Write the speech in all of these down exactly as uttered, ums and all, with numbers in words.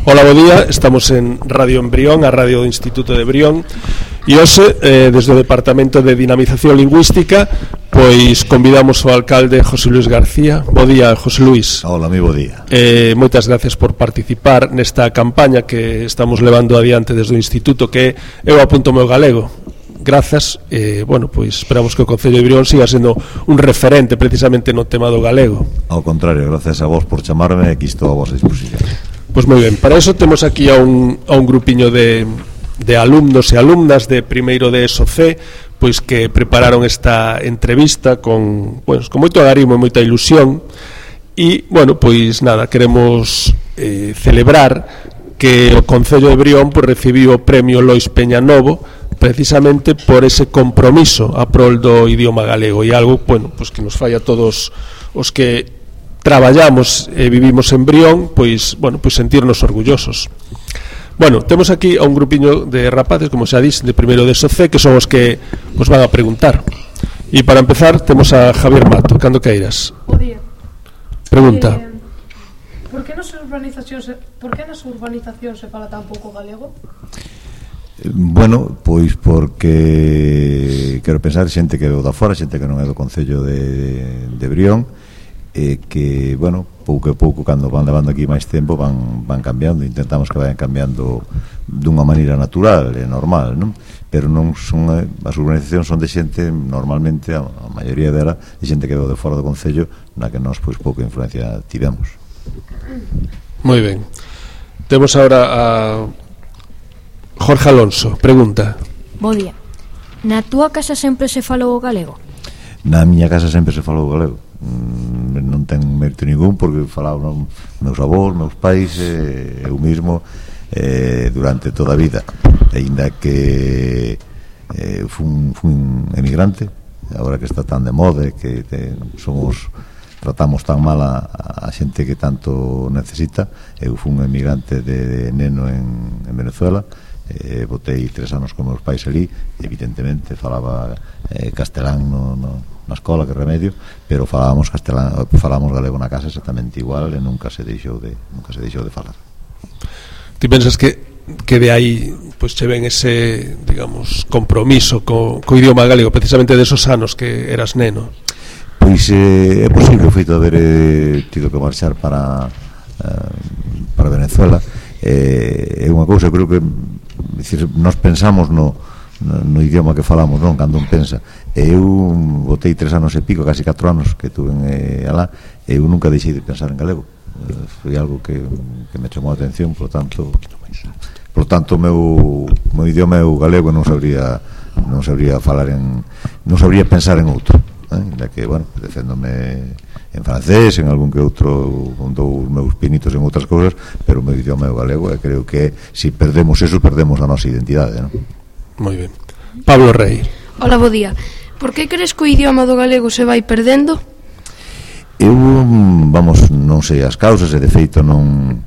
Ola, bo día, estamos en Radio Embrión, a radio do Instituto de Brión, e hoxe, eh, desde o Departamento de Dinamización Lingüística, pois convidamos ao alcalde José Luis García. Bo día, José Luis. Hola, mi bo día. Eh, moitas gracias por participar nesta campaña que estamos levando adiante desde o Instituto, que eu apunto o meu galego. Grazas, eh, bueno, pois esperamos que o Concello de Brión siga sendo un referente precisamente no tema do galego. Ao contrario, gracias a vos por chamarme, aquí estou a vosa disposición. Pois moi ben, para iso temos aquí a un, a un grupiño de, de alumnos e alumnas de primeiro de ESO C, pois que prepararon esta entrevista con, pues, con moito agarimo e moita ilusión. E, bueno, pois nada, queremos eh, celebrar que o Concello de Brión pues, recibiu o premio Lois Peña Novo precisamente por ese compromiso a prol do idioma galego, e algo, bueno, pues que nos fai a todos os que traballamos e vivimos en Brión, pois, bueno, pois sentirnos orgullosos. Bueno, temos aquí a un grupiño de rapaces, como xa dis, de primeiro de ESO C, que son os que os van a preguntar. E para empezar, temos a Javier Mato, cando queiras. Bo día. Pregunta. Eh, por que nas urbanizacións, por que nas urbanizacións se fala tan pouco galego? Bueno, pois porque quero pensar xente que é da fora, xente que non é do Concello de, de Brión, e que, bueno, pouco a pouco cando van levando aquí máis tempo van, van cambiando, intentamos que vayan cambiando dunha maneira natural e normal, non? Pero non son, as urbanizacións son de xente, normalmente a, a maioría dela de xente que é de fora do Concello, na que nós pois pouca influencia tivemos. Moi ben. Temos agora a Jorge Alonso, pregunta. Bo día. Na túa casa sempre se falou o galego? Na miña casa sempre se falou o galego. Mm, non ten mérito ningún porque falaban meus avós, meus pais, eh, eu mismo eh, durante toda a vida, aínda que eh, fun, fun emigrante, agora que está tan de moda que te, somos tratamos tan mal a, a xente que tanto necesita. Eu fun emigrante de, de neno en, en Venezuela, eh, botei tres anos con meus pais ali, evidentemente falaba eh, castelán no, no na escola, que remedio, pero falábamos castelán, falábamos galego na casa exactamente igual e nunca se deixou de nunca se deixou de falar. Ti pensas que que de aí pois che ven ese, digamos, compromiso co, co idioma galego precisamente desos anos que eras neno? Pois eh, é posible o feito de haber eh, tido que marchar para eh, para Venezuela. Eh, é unha cousa, creo que decir, nós pensamos no No, no idioma que falamos, non? Cando un pensa. Eu botei tres anos e pico, casi catro anos que tuve eh, alá, e eu nunca deixei de pensar en galego. Eh, foi algo que, que me chamou a atención, por tanto, por tanto, o meu, meu idioma é o galego, non sabría non sabría falar en, non sabría pensar en outro, eh? Ainda que, bueno, deféndome en francés, en algún que outro, con dous meus pinitos en outras cousas, pero o meu idioma é o galego, e creo que se si perdemos eso, perdemos a nosa identidade, non? Moi ben. Pablo Rey. Hola, bo día. Por que crees que o idioma do galego se vai perdendo? Eu, vamos, non sei as causas, e de feito non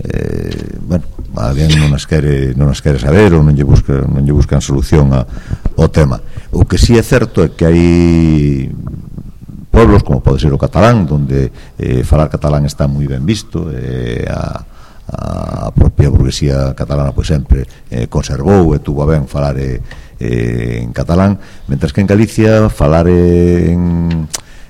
eh, bueno, alguén non as quere non as quere saber ou non lle busca, non lle buscan solución a, ao tema. O que si sí é certo é que hai pueblos como pode ser o catalán, donde eh, falar catalán está moi ben visto, e eh, a a propia burguesía catalana pois sempre eh, conservou e tuvo a ben falar eh, eh, en catalán, mentras que en Galicia falar eh, en,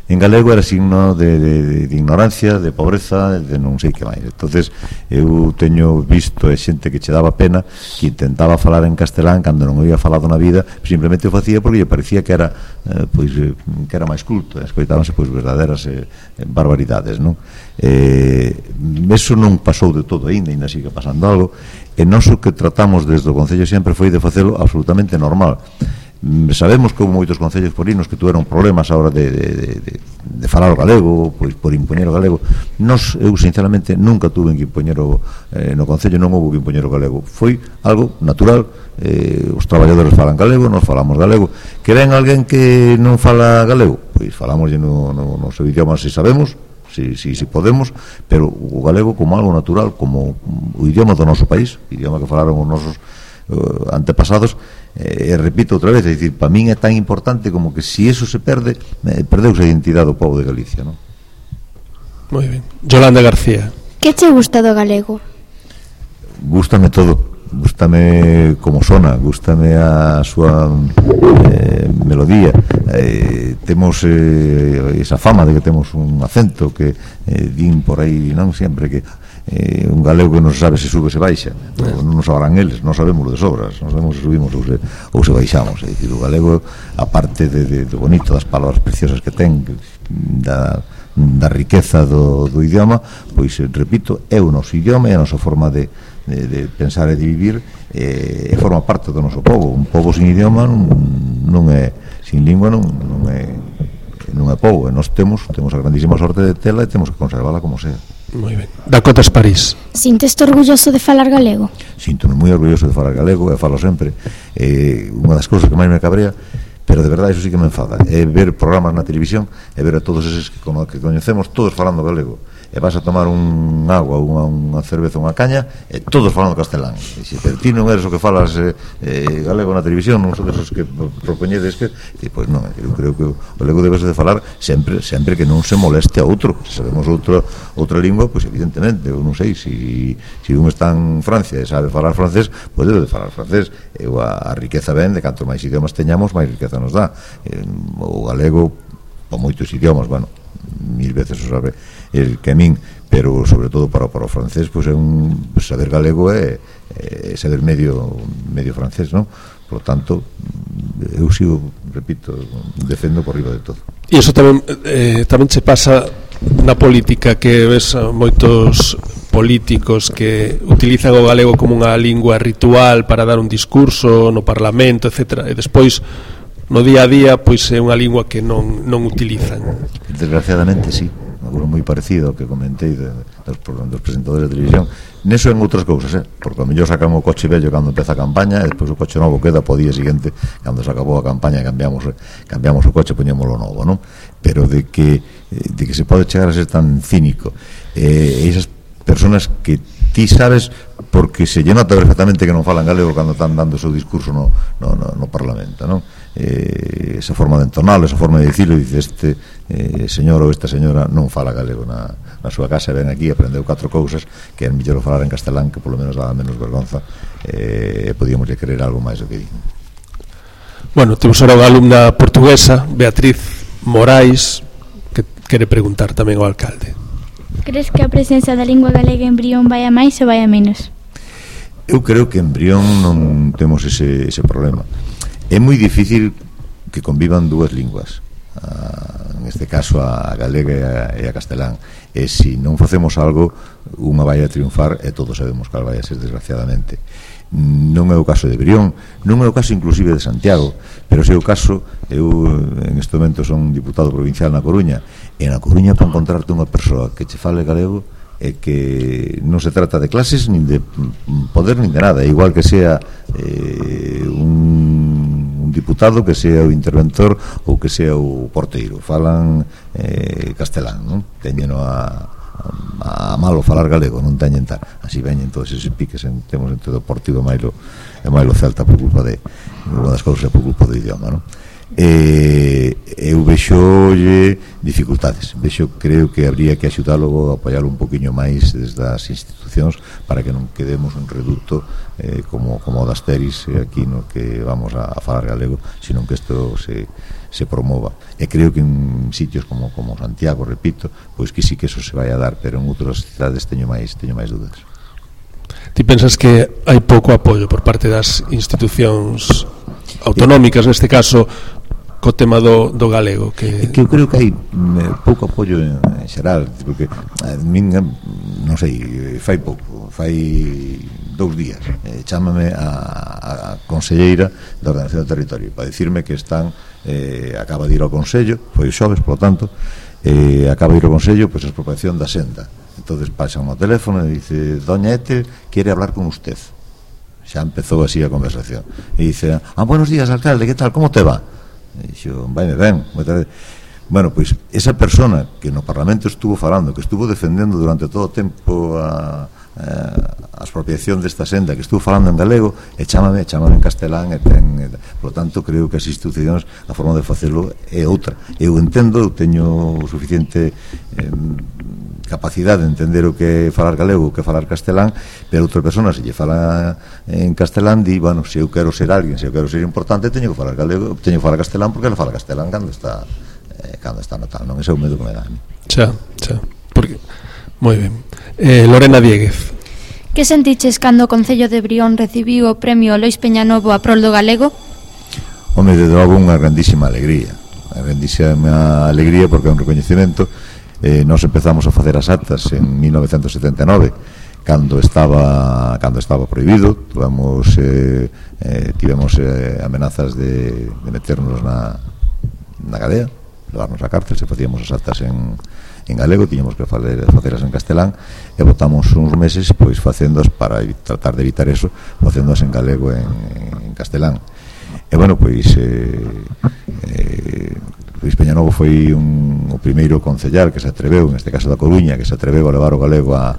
en galego era signo de, de, de ignorancia, de pobreza, de non sei que máis. Entonces eu teño visto e xente que che daba pena que intentaba falar en castelán cando non había falado na vida, simplemente o facía porque lle parecía que era eh, pois eh, que era máis culto, escoitábanse pois verdadeiras eh, barbaridades, non? Eh, eso non pasou de todo aínda, aínda sigue pasando algo, e nós o que tratamos desde o Concello sempre foi de facelo absolutamente normal. Sabemos que houve moitos concellos porinos que tuveron problemas a hora de, de, de, de falar o galego, pois por impoñer o galego. Nos, eu sinceramente nunca tuve que impoñer o, eh, no concello non houve que impoñer o galego, foi algo natural. Eh, os traballadores falan galego, nós falamos galego. Que ven alguén que non fala galego, pois falamos no, no, no seu idioma se sabemos, si, si, si podemos, pero o galego como algo natural, como o idioma do noso país, o idioma que falaron os nosos uh, antepasados. E eh, repito outra vez, é dicir, para min é tan importante como que se si eso se perde, eh, perdeuse a identidade do povo de Galicia, non? Moi ben. Yolanda García. Que che gusta do galego? gústame todo, gústame como sona, gústame a súa eh, melodía. Eh, temos eh, esa fama de que temos un acento que eh, din por aí, non sempre, que eh, un galego que non sabe se sube ou se baixa, non, non sabrán eles, non sabemos de sobras, non sabemos se subimos ou se, ou se baixamos. É dicir, o galego, aparte de, de, de bonito, das palabras preciosas que ten, da, da riqueza do, do idioma, pois, repito, é o noso idioma, é a nosa forma de, de, de pensar e de vivir, e forma parte do noso povo. Un povo sin idioma non, non é, sin lingua non, non é non é povo, e nós temos temos a grandísima sorte de tela e temos que conservala como sea. Moi ben. Dakotas París. Sinteste orgulloso de falar galego? Síntome moi orgulloso de falar galego, e falo sempre. Eh, unha das cousas que máis me cabrea, pero de verdade, iso sí que me enfada, é ver programas na televisión e ver a todos eses que, como, que coñecemos todos falando galego, e vas a tomar un agua, unha, unha cerveza, unha caña, e todos falando castelán. E se pero ti non eres o que falas eh, eh, galego na televisión, non son esos que propoñedes que, e pois non, eu creo que o galego debes de falar sempre, sempre que non se moleste a outro. Se sabemos outra outra lingua, pois evidentemente, eu non sei, se si, si un está en Francia e sabe falar francés, pois debe de falar francés. Eu a, a riqueza ben de canto máis idiomas teñamos, máis riqueza nos dá. Eh, o galego, por moitos idiomas, bueno, mil veces o sabe el que a min, pero sobre todo para, para o francés, pois é un saber galego é, é saber medio medio francés, non? Por lo tanto, eu sigo, repito, defendo por riba de todo. E iso tamén eh, tamén se pasa na política, que ves a moitos políticos que utilizan o galego como unha lingua ritual para dar un discurso no Parlamento, etcétera, e despois no día a día pois é unha lingua que non, non utilizan. Desgraciadamente sí, algo moi parecido ao que comentei de, dos, dos presentadores de televisión. Neso en outras cousas, eh? Porque a mellor sacan o coche vello cando empeza a campaña e despois o coche novo queda po día seguinte, cando se acabou a campaña, cambiamos cambiamos o coche, poñémoslo novo, non? Pero de que de que se pode chegar a ser tan cínico, eh, esas personas que ti sabes porque se lle nota perfectamente que non falan galego cando están dando o seu discurso no, no, no, no Parlamento, non? Eh, esa forma de entonar, esa forma de dicirlo, dice este eh, señor ou esta señora non fala galego na, na súa casa, ven aquí, aprendeu catro cousas que é mellor falar en castelán, que polo menos dá menos vergonza, e eh, podíamos lle querer algo máis do que di. Bueno, temos ahora unha alumna portuguesa, Beatriz Morais, que quere preguntar tamén ao alcalde. Crees que a presenza da lingua galega en Brión vai a máis ou vai a menos? Eu creo que en Brión non temos ese, ese problema. É moi difícil que convivan dúas linguas, ah, en este caso a galega e a, e a castelán, e se non facemos algo, unha vai a triunfar e todos sabemos cal vai a ser, desgraciadamente. Non é o caso de Brión, non é o caso inclusive de Santiago, pero se é o caso, eu en este momento son diputado provincial na Coruña, e na Coruña para encontrarte unha persoa que che fale galego é que non se trata de clases nin de poder nin de nada, igual que sea eh, un, un diputado, que sea o interventor ou que sea o porteiro, falan eh, castelán, non? Teñeno a a malo falar galego, non teñen tal, así veñen todos esos piques en, temos entre o Deportivo e Mailo e Mailo Celta por culpa de unha das cousas é por culpa do idioma, non? E eu vexolle dificultades, vexo, creo que habría que axudalo, apoialo un poquinho máis desde as institucións para que non quedemos un reducto eh, como, como o das Teris eh, aquí no que vamos a, a falar galego, sino que isto se, se promova, e creo que en sitios como, como Santiago, repito, pois que sí que eso se vai a dar, pero en outras cidades teño máis, teño máis dúdas. Ti pensas que hai pouco apoio por parte das institucións autonómicas, neste caso co tema do, do galego, que... É que eu creo que hai eh, pouco apoio en, en xeral, porque a min, non sei, fai pouco, fai dous días, eh, chámame a, a conselleira da Ordenación do Territorio para dicirme que están, eh, acaba de ir ao Consello, foi o xoves, por lo tanto, eh, acaba de ir ao Consello, pois pues, a expropiación da senda. Entonces pasan ao teléfono e dice, doña Ethel quere hablar con usted. Xa empezou así a conversación e dice, ah, buenos días, alcalde, que tal, como te va? E dixo, vaime ben, bueno, pois esa persona que no Parlamento estuvo falando, que estuvo defendendo durante todo o tempo a, a, a expropiación desta senda, que estuvo falando en galego, e chámame, chámame en castelán, e ten, e, por lo tanto creo que as institucións, a forma de facelo é outra. Eu entendo, eu teño suficiente eh, capacidade de entender o que é falar galego, o que é falar castelán, pero outra persona se lle fala en castelán di, bueno, se eu quero ser alguén, se eu quero ser importante, teño que falar galego, teño que falar castelán porque ela fala castelán cando está eh, cando está no tal, non ese é o medo que me dá. Xa, xa, porque moi ben. Eh, Lorena Dieguez. Que sentiches cando o Concello de Brión recibiu o premio Lois Peñanovo a prol do galego? Home, de logo unha grandísima alegría, unha grandísima alegría porque é un recoñecemento. Eh, nós empezamos a facer as actas en mil novecentos setenta e nove cando estaba cando estaba prohibido. Tuvemos eh, eh, tivemos eh, amenazas de, de meternos na, na cadea, levarnos a cárcel se facíamos as actas en, en galego, tiñamos que facer, faceras en castelán, e botamos uns meses pois facéndoas para tratar de evitar eso, facéndoas en galego en, en castelán. E bueno, pois eh, eh, Luis Peñanovo foi un, o primeiro concellar que se atreveu, neste caso da Coruña, que se atreveu a levar o galego a,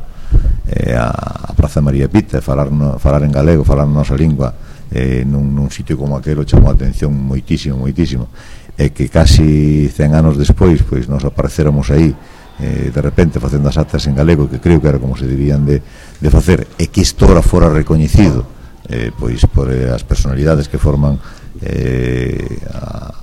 eh, a Praza María Pita, falar, no, falar en galego, falar na nosa lingua eh, nun, nun sitio como aquel chamou a atención moitísimo, moitísimo, e que casi cen anos despois pois nos aparecéramos aí eh, de repente facendo as actas en galego, que creo que era como se debían de, de facer, e que isto ora fora recoñecido eh, pois por eh, as personalidades que forman eh, a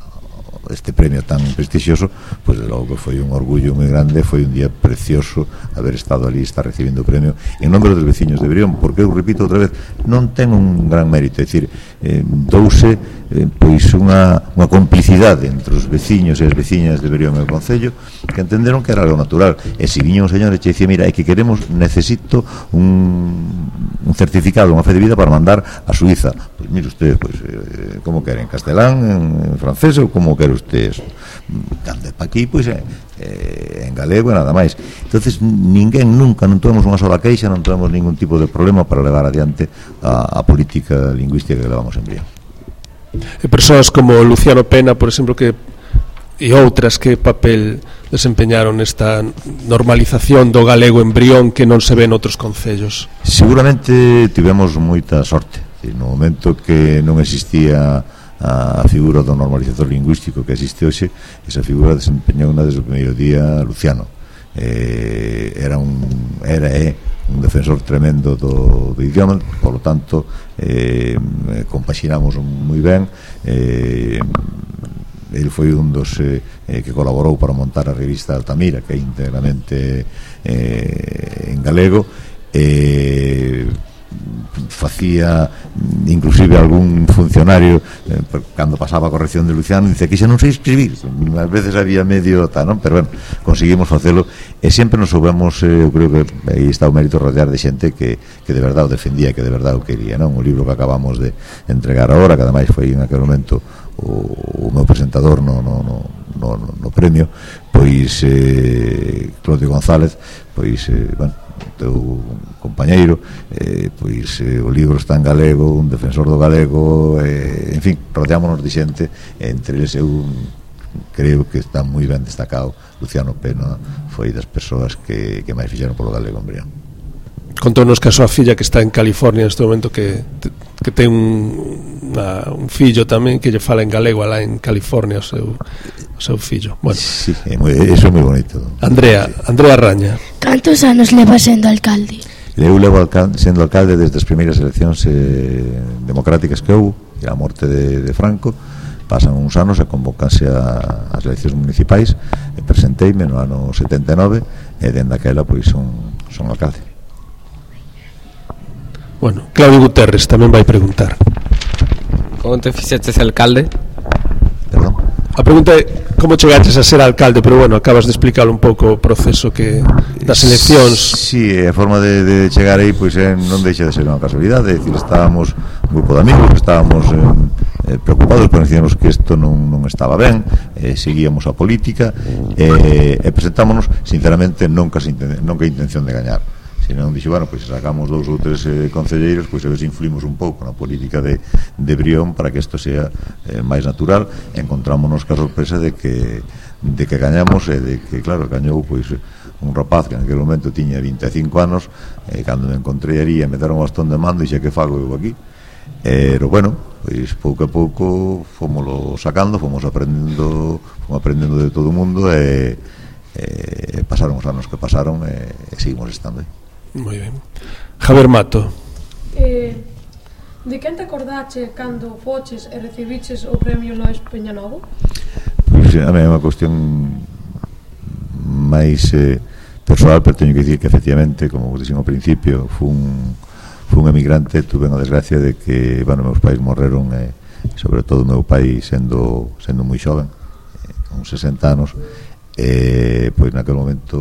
este premio tan prestixioso, pois de logo que foi un orgullo moi grande, foi un día precioso haber estado ali, estar recibindo o premio en nome dos veciños de Brión, porque eu repito outra vez, non ten un gran mérito, é dicir, eh, douse eh, pois unha, unha complicidade entre os veciños e as veciñas de Brión e o Concello, que entenderon que era algo natural, e se viña un señor e che dicía, mira, é que queremos, necesito un, un certificado, unha fe de vida para mandar a Suiza, pois mire usted, pois, eh, como queren, en castelán, en francés, ou como quere ustedes, cando é pa aquí, pois é eh, en galego e nada máis. Entonces ninguén nunca, non tuvemos unha sola queixa, non tuvemos ningún tipo de problema para levar adiante a, a política lingüística que levamos en Brión. E persoas como Luciano Pena, por exemplo, que e outras, que papel desempeñaron nesta normalización do galego en Brión que non se ve en outros concellos? Seguramente tivemos moita sorte. No momento que non existía a figura do normalizador lingüístico que existe hoxe, esa figura desempeñou unha desde o primeiro día Luciano. Eh, era un era é un defensor tremendo do, do idioma, por lo tanto eh, compaxinamos moi ben. eh, ele foi un dos eh, que colaborou para montar a revista Altamira, que é íntegramente eh, en galego, e eh, facía inclusive algún funcionario eh, cando pasaba a corrección de Luciano dice que xa non sei escribir, ás veces había medio tal, non? Pero bueno, conseguimos facelo e sempre nos soubemos, eh, eu creo que aí está o mérito, rodear de xente que, que de verdade o defendía, que de verdade o quería, non? O libro que acabamos de entregar agora, que ademais foi en aquel momento o, o meu presentador no, no, no, no, no premio, pois eh, Claudio González, pois eh, bueno, teu compañeiro, eh, pois eh, o libro está en galego, un defensor do galego, eh, en fin, rodeámonos de xente, entre eles eu creo que está moi ben destacado. Luciano Pena foi das persoas que, que máis fixeron polo galego en Brión. Contónos que a súa filla, que está en California neste momento, que, que ten un, una, un fillo tamén que lle fala en galego alá en California, o seu, o seu fillo. Bueno. Sí, é moi, eso é moi bonito. Andrea, Andrea Raña. Cantos anos leva sendo alcalde? Eu levo alcalde, sendo alcalde desde as primeiras eleccións eh, democráticas que houve, e a morte de, de Franco. Pasan uns anos e convocanse a, as eleccións municipais, e presenteime no ano setenta e nove, e dende aquela pois son, son alcalde. Bueno, Claudio Guterres tamén vai preguntar. Como te fixeches alcalde? Perdón? A pregunta é como chegaches a ser alcalde, pero bueno, acabas de explicar un pouco o proceso que das eleccións. Sí, a forma de, de chegar aí pois eh, non deixa de ser unha casualidade, é dicir, estábamos un grupo de amigos que estábamos eh, preocupados, conocíamos que isto non, non estaba ben, eh, seguíamos a política eh, e presentámonos sinceramente nunca, nunca a intención de gañar, senón dixo, bueno, pois sacamos dous ou tres eh, concelleiros, pois a ver se influimos un pouco na política de, de Brión para que isto sea eh, máis natural. Encontrámonos ca sorpresa de que de que gañamos e de que, claro, gañou pois un rapaz que en aquel momento tiña vinte e cinco anos, e eh, cando me encontrei ali e me deron o bastón de mando, dixe, que fago eu aquí? Pero bueno, pois pouco a pouco fomoslo sacando, fomos aprendendo, fomos aprendendo de todo o mundo, e eh, pasaron os anos que pasaron e eh, seguimos estando aí. Moi ben. Javier Mato. Eh, de quen te acordache cando foches e recibiches o premio Lois Peñanovo? Pois, a mí é unha cuestión máis eh, persoal, pero teño que dicir que efectivamente, como vos dixen ao principio, fun, fun emigrante, tuve a desgracia de que, bueno, meus pais morreron e eh, sobre todo meu pai sendo sendo moi xoven, eh, con sesenta anos, e pois naquele momento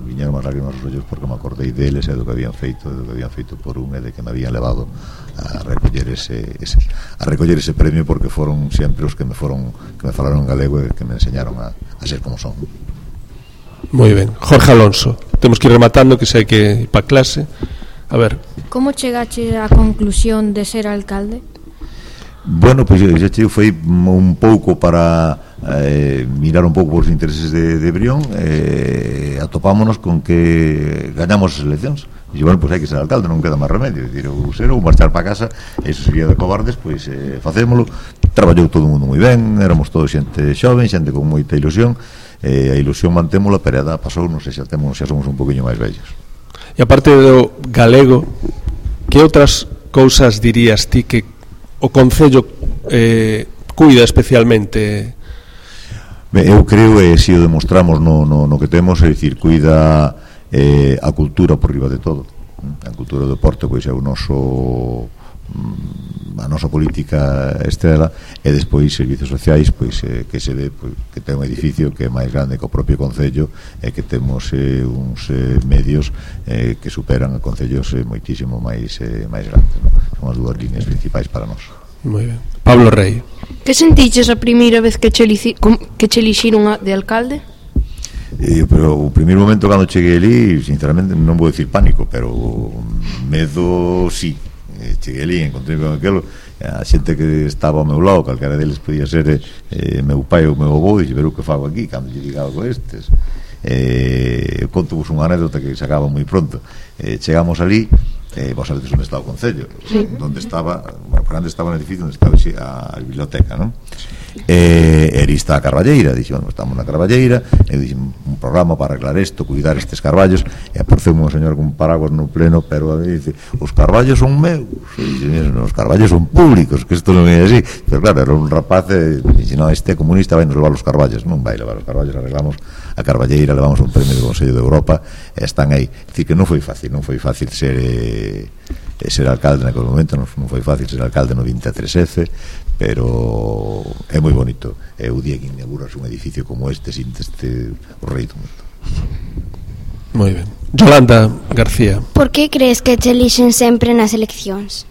viñeron as lágrimas aos ollos porque me acordei deles e do que habían feito, do que habían feito por un e de que me habían levado a recoller ese, ese a recoller ese premio, porque foron sempre os que me foron que me falaron en galego e que me enseñaron a, a ser como son. Moi ben. Jorge Alonso, temos que ir rematando, que sei que ir para clase. A ver. Como chegache á conclusión de ser alcalde? Bueno, pois pues, xa che foi un pouco para eh, mirar un pouco os intereses de, de Brión, eh, atopámonos con que gañamos as eleccións. E bueno, pois pues hai que ser alcalde, non queda máis remedio, decir, ou ser ou marchar para casa, eso sería de cobardes, pois eh, facémolo. Traballou todo o mundo moi ben, éramos todos xente xoven, xente con moita ilusión, e eh, a ilusión mantémola, pero a edad pasou, non sei, xa temos, xa somos un poquinho máis vellos. E aparte do galego, que outras cousas dirías ti que o Concello eh, cuida especialmente? Ben, eu creo, e se o demostramos no, no, no que temos, é dicir, cuida eh, a cultura por riba de todo. A cultura do deporte, pois é o noso a nosa política estrela, e despois servicios sociais, pois eh, que se ve pois, que ten un edificio que é máis grande que o propio Concello, e que temos eh, uns eh, medios eh, que superan a concellos eh, moitísimo máis eh, máis grandes, ¿no? Son as dúas líneas principais para nós. Moi ben. Pablo Rey. Que sentiches a primeira vez que che, elici, que che elixiron de alcalde? Eh, pero o primeiro momento cando cheguei ali, sinceramente non vou dicir pánico, pero medo sí. Eh, cheguei ali, encontrei con aquelo, a xente que estaba ao meu lado, calquera deles podía ser eh, meu pai ou meu avó, e ver o que fago aquí cando lle diga algo estes. Eh, conto vos unha anécdota que se acaba moi pronto. Eh, chegamos ali, eh, vos sabedes onde está o Concello, sí. Donde estaba, bueno, por onde estaba no edificio onde estaba a, a biblioteca, non? E eh, está a Carballeira, dixo, bueno, estamos na Carballeira, e dixo, un programa para arreglar isto, cuidar estes carballos, e apareceu un señor con paraguas no pleno, pero a mí dice, os carballos son meus, e dice, os carballos son públicos, que isto non é así, pero claro, era un rapaz, e dixe, no, este comunista vai nos levar os carballos, non vai levar os carballos, arreglamos a Carballeira, levamos un premio do Consello de Europa, e están aí, é dicir, que non foi fácil, non foi fácil ser eh, ser alcalde naquele momento, non, non foi fácil ser alcalde no vinte e tres F, pero é moi bonito, é o día que inauguras un edificio como este, sin este o rei do mundo. Moi ben. Yolanda García. Por que crees que te elixen sempre nas eleccións?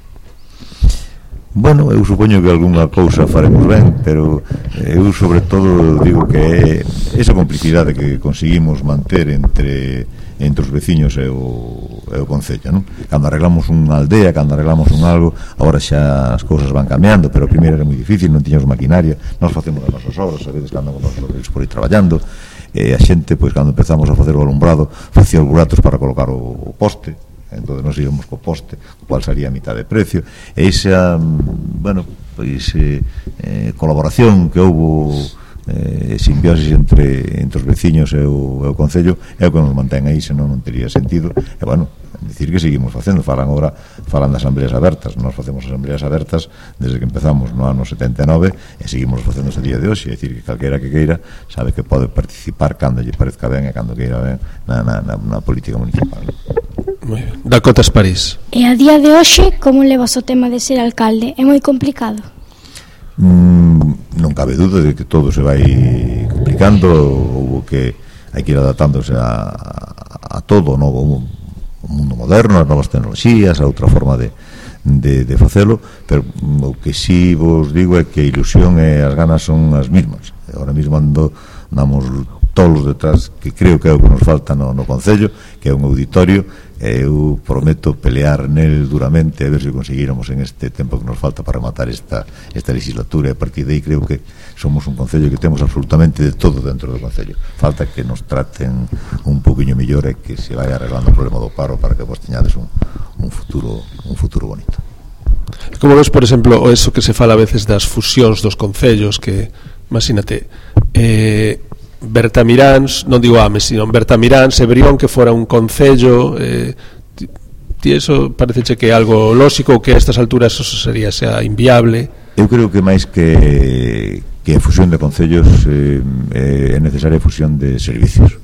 Bueno, eu supoño que algunha cousa faremos ben, pero eu sobre todo digo que é esa complicidade que conseguimos manter entre entre os veciños e o, e o Concello, non? Cando arreglamos unha aldea, cando arreglamos un algo, agora xa as cousas van cambiando, pero primeiro era moi difícil, non tiñamos maquinaria, nós facemos as nosas obras, a veces cando nos os por aí traballando, e a xente, pois, cando empezamos a facer o alumbrado, facía os buratos para colocar o, o poste, entón nos íbamos co poste, o cual salía a mitad de precio, e esa, bueno, pois, eh, eh, colaboración que houbo, eh, simbiosis entre, entre os veciños e o, e o Concello é o que nos mantén aí, senón non tería sentido. E bueno, decir que seguimos facendo, falan agora, falan das asambleas abertas, nós facemos asambleas abertas desde que empezamos no ano setenta e nove e seguimos facendo ese día de hoxe, é dicir que calquera que queira sabe que pode participar cando lle parezca ben e cando queira ben na, na, na, na política municipal. Moi ben. Dakotas París. E a día de hoxe, como levas o tema de ser alcalde? É moi complicado? Mm, non cabe duda de que todo se vai complicando, ou que hai que ir adaptándose a, a, a todo o novo o mundo moderno, as novas tecnoloxías, a outra forma de, de, de facelo, pero o que si vos digo é que a ilusión e as ganas son as mesmas. Ahora mesmo ando, andamos todos detrás, que creo que é o que nos falta no, no Concello, que é un auditorio. Eu prometo pelear nel duramente a ver se conseguíramos en este tempo que nos falta para rematar esta, esta legislatura, e a partir de aí creo que somos un Concello que temos absolutamente de todo dentro do Concello. Falta que nos traten un poquinho mellor e que se vai arreglando o problema do paro para que vos teñades un, un futuro un futuro bonito. Como ves, por exemplo, eso que se fala a veces das fusións dos concellos, que, imagínate, eh, Bertamiráns, non digo Ames, sino Bertamiráns e Brión que fora un concello, eh, ti, ti eso pareceche que é algo lóxico ou que a estas alturas eso sería xa inviable? Eu creo que máis que que a fusión de concellos eh, é necesaria a fusión de servicios.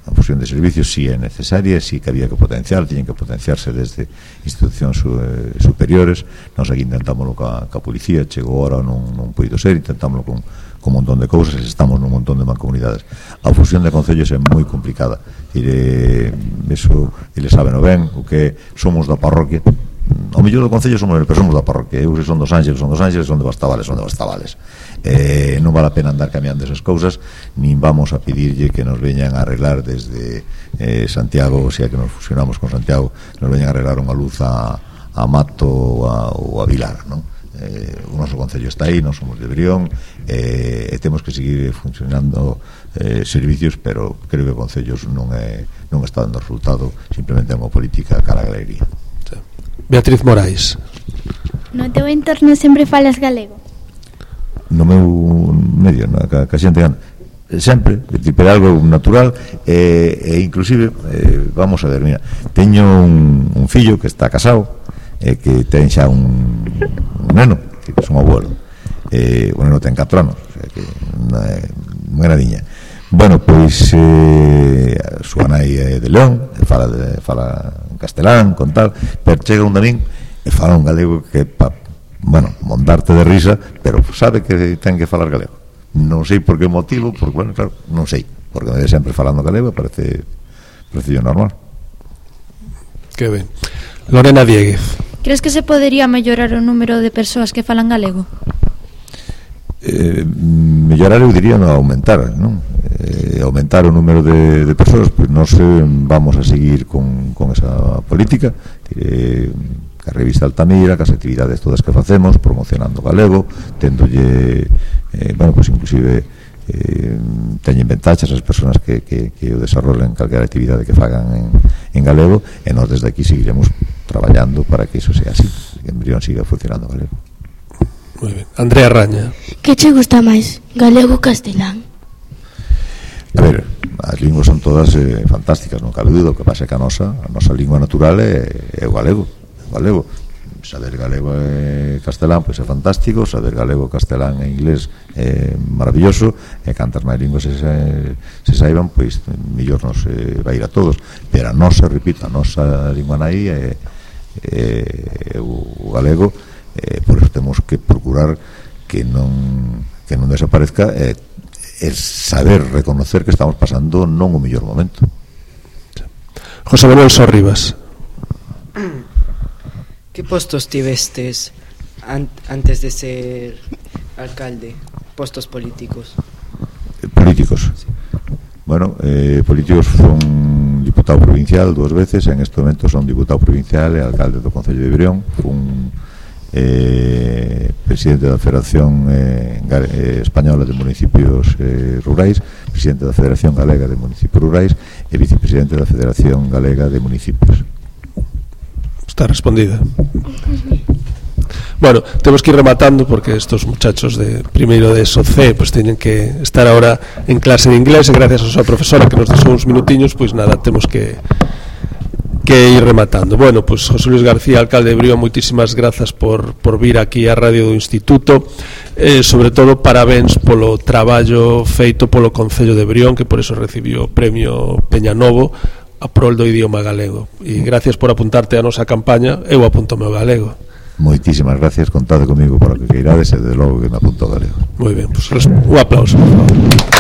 A fusión de servicios si é necesaria, si que había que potenciar, tiñen que potenciarse desde institucións eh, superiores. Nós aquí intentámoslo ca, ca policía, chegou ahora non, non poido ser, intentámoslo con, con un montón de cousas, estamos nun montón de mancomunidades. A fusión de concellos é moi complicada. Dire, eso, eles saben o ben, o que somos da parroquia. O mellor do concello somos, pero somos da parroquia. Eu se son dos Ángeles, son dos Ángeles, son de Bastavales, son de Bastavales. Eh, non vale a pena andar cambiando esas cousas, nin vamos a pedirlle que nos veñan a arreglar desde eh, Santiago, o sea que nos fusionamos con Santiago, nos veñan a arreglar unha luz a, a Mato ou a, ou a Vilar, non? Eh, o noso concello está aí, non somos de Brión, eh, e temos que seguir funcionando eh, servicios, pero creo que concellos non é, non está dando resultado, simplemente é unha política cara a galería. Beatriz Morais. No teu entorno sempre falas galego? No meu medio, na ca, ca xente gana sempre, tipo é algo natural e, e inclusive eh, vamos a ver, mira, teño un, un fillo que está casado e eh, que ten xa un, un neno que é un abuelo, eh, o neno ten catro anos, o sea que unha nadiña. Bueno, pois eh, a súa nai é de León, e fala, de, fala en castelán, con tal, pero chega un damín e fala un galego que pa, bueno, montarte de risa, pero sabe que ten que falar galego. Non sei por que motivo, porque, bueno, claro, non sei, porque me ve sempre falando galego, parece parece normal. Que ben. Lorena Dieguez. Crees que se podería mellorar o número de persoas que falan galego? Eh, mellorar, eu diría, non aumentar, non? Eh, aumentar o número de, de persoas, pois non sei, vamos a seguir con, con esa política. Eh, a revista Altamira, que as actividades todas que facemos, promocionando galego, tendolle, eh, bueno, pois inclusive eh, teñen ventaxas as persoas que, que, que o desarrollen calquera actividade que fagan en, en galego, e nós desde aquí seguiremos traballando para que iso sea así, que en Brión siga funcionando galego. Muy ben. Andrea Raña. Que che gusta máis, galego ou castelán? A ver, as linguas son todas eh, fantásticas, non cabe dúda. O que pasa é que a nosa, a nosa lingua natural é, é o galego. galego. Saber galego e castelán pois é fantástico, saber galego, castelán e inglés é maravilloso, e cantas máis linguas se, se saiban, pois mellor nos eh, vai ir a todos, pero a nosa, repito, a nosa lingua nai é, é o, o galego, e por eso temos que procurar que non que non desaparezca, e, e saber reconocer que estamos pasando non o mellor momento. José Manuel Sorribas. Que postos tivestes an antes de ser alcalde? Postos políticos. Eh, políticos. Sí. Bueno, eh, políticos son diputado provincial dúas veces, en este momento son diputado provincial e alcalde do Concello de Brión, fun eh, presidente da Federación eh, eh, Española de Municipios eh, Rurais, presidente da Federación Galega de Municipios Rurais e vicepresidente da Federación Galega de Municipios. Está respondida. Bueno, temos que ir rematando porque estos muchachos de primeiro de S O C pues teñen que estar ahora en clase de inglés e gracias a súa profesora que nos deixou uns minutiños, pois pues nada, temos que que ir rematando. Bueno, pues José Luis García, alcalde de Brión, moitísimas grazas por, por vir aquí á radio do Instituto, eh, sobre todo parabéns polo traballo feito polo Concello de Brión, que por eso recibiu o premio Peñanovo a prol do idioma galego, e gracias por apuntarte a nosa campaña. Eu apunto o meu galego. Moitísimas gracias, contade comigo para que queirades e de logo que me apunto ao galego. Moi ben, pues un aplauso, por favor.